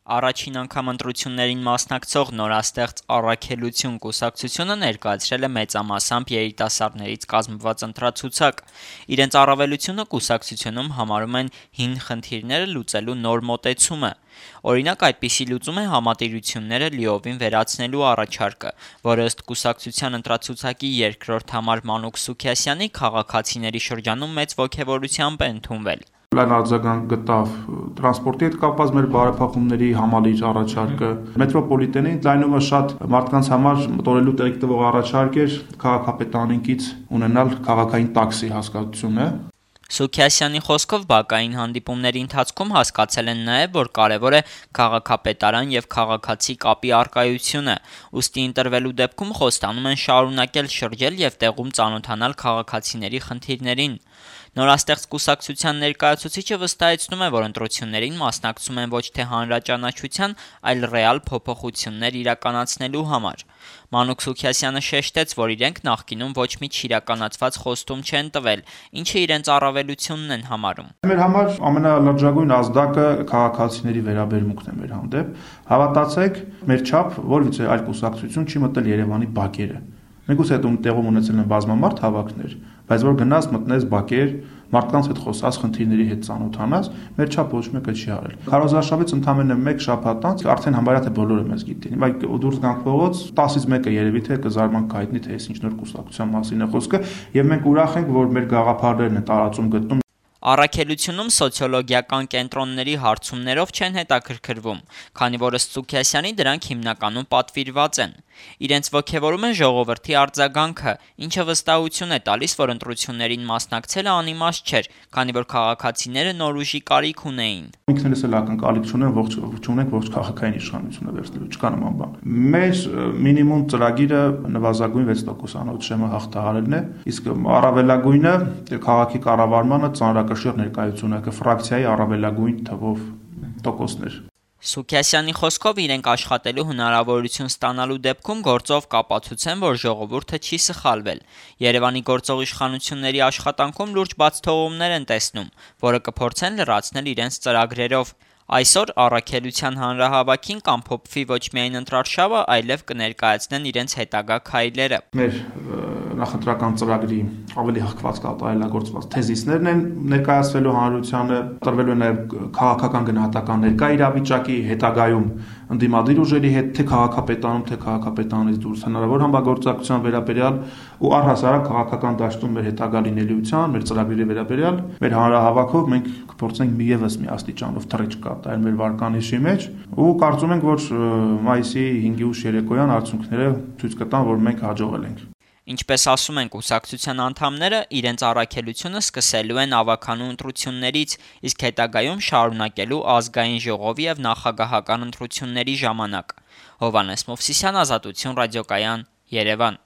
Առաջին անգամ ընտրություններին մասնակցող նորաստեղծ Առաքելություն կուսակցությունը ներկայացրել է մեծամասամբ երիտասարդներից կազմված ընտրացուցակ։ Իրենց առավելությունը կուսակցությունում համարում են հին խնդիրները լուծելու նոր մոտեցումը։ Օրինակ, այդպիսի լուծում է համատիրությունները լիովին վերացնելու առաջարկը, որը ըստ կուսակցության ընտրացուցակի երկրորդ համար Մանուկ Սուքիասյանի քաղաքացիների շրջանում մեծ ոգևորությամբ է ընդունվել։ Լայն արձագանք գտավ տրանսպորտի հետ կապված մեր բարեփոխումների համալիր առաջարկը, մետրոպոլիտենի ընդլայնումը շատ մարդկանց համար մտորելու տեղիք տվող առաջարկ էր, քաղաքապետարանից ունենալ քաղաքային տաքսի հասկացությունը։ Սուքիասյանի խոսքով բակային հանդիպումների ընթացքում հասկացել են նաև, որ կարևոր է քաղաքապետարան եւ քաղաքացի կապի առկայությունը, ուստի ընտրվելու դեպքում խոստանում են շարունակել շրջել եւ տեղում ծանոթանալ քաղաքացիների խնդիրներին։ Նորաստեղծ կուսակցության ներկայացուցիչը վստահեցնում է, որ ընտրություններին մասնակցում են ոչ թե հանրաճանաչության, այլ ռեալ փոփոխություններ իրականացնելու համար։ Մանուկ Սուքիասյանը շեշտեց, որ իրենք նախկինում ոչ մի չիրականացված խոստում չեն տվել, ինչը իրենց առավելությունն են համարում։ Մեր համար ամենալրջագույն ազդակը քաղաքացիների վերաբերմունքն է մեր հանդեպ։ Հավատացեք, մեր չափ որևիցե այլ կուսակցություն չի մտել Երևանի բակերը։ Մենք այդ տեղում ունեցել են բազմամարդ հավաքներ, բայց որ գնաս մտնես բակեր, մարդկանց հետ խոսած, խնդիրների հետ ծանոթանաս, մեր չափ ոչ մեկը չի արել։ Քարոզարշավից ընդամենը 1 շաբաթ անց արդեն համարյա թե բոլորը մեզ գիտեն։ Բայց դուրս գանք փողոց, 10-ից 1-ը երևի թե կզարմանք կհայտնի, թե այս ինչ նոր կուսակցության մասին է խոսքը, եւ մենք ուրախ ենք, որ մեր գաղափարներն են տարածում գտնում։ Առաքելությունում սոցիոլոգիական կենտրոնների հարցումներով չեն հետաքրքրվում, քանի որ ըստ Սուքիասյանի դրանք հիմնականում պատվիրված են։ Իրենց ոգևորում է ժողովրդի արձագանքը, ինչը վստահություն է տալիս, որ ընտրություններին մասնակցելը անիմաստ չէր, քանի որ քաղաքացիները նոր ուժի կարիք ունեին։ Ինքներս էլ ակնկալիք չունենք ողջ քաղաքային իշխանությունը վերցնելու, չկա նման բան։ Մեր մինիմում ծրագիրը նվազագույն 6% անոց շեմը հաղթահարելն է, իսկ առավելագույնը քաղաքի կառավարմանը ծանրակշիռ ներկայությունը ֆրակցիայի առավելագույն թվով տոկոսներ։ Սուքիասյանի խոսքով իրենք աշխատելու հնարավորություն ստանալու դեպքում գործով կապացուցեն, որ ժողովուրդը չի սխալվել։ Երևանի գործող իշխանությունների աշխատանքում լուրջ բացթողումներ են տեսնում, որը կփորձեն լրացնել իրենց ծրագրերով։ Այսօր Առաքելության հանրահավաքին կամփոփվի ոչ միայն ընտրարշավը, այլև կներկայացնեն իրենց հետագա քայլերը։ Մեր նախընտրական ծրագրի ավելի հղկված կատարելագործված թեզիսներն են ներկայացվելու հանրությանը, տրվելու է նաև քաղաքական գնահատական ներկա իրավիճակի, հետագայում ընդդիմադիր ուժերի հետ, թե քաղաքապետարանում, թե քաղաքապետարանից դուրս հնարավոր համագործակցության վերաբերյալ ու առհասարակ քաղաքական դաշտում մեր հետագա լինելիության, մեր ծրագրերի վերաբերյալ մեր հանրահավաքով մենք կփորձենք ևս մի աստիճանով թռիչք կատարել մեր վարկանիշի մեջ ու կարծում ենք, որ մայիսի 5-ի ուշ երեկոյան արդյունքները ցույց կտան, որ մենք հաջողել ենք։ Ինչպես ասում են կուսակցության անդամները, իրենց առաքելությունը սկսելու են ավագանու ընտրություններից, իսկ հետագայում շարունակելու ազգային ժողովի եւ նախագահական ընտրությունների ժամանակ։ Հովհաննես Մովսիսյան, Ազատություն ռադիոկայան, Երևան։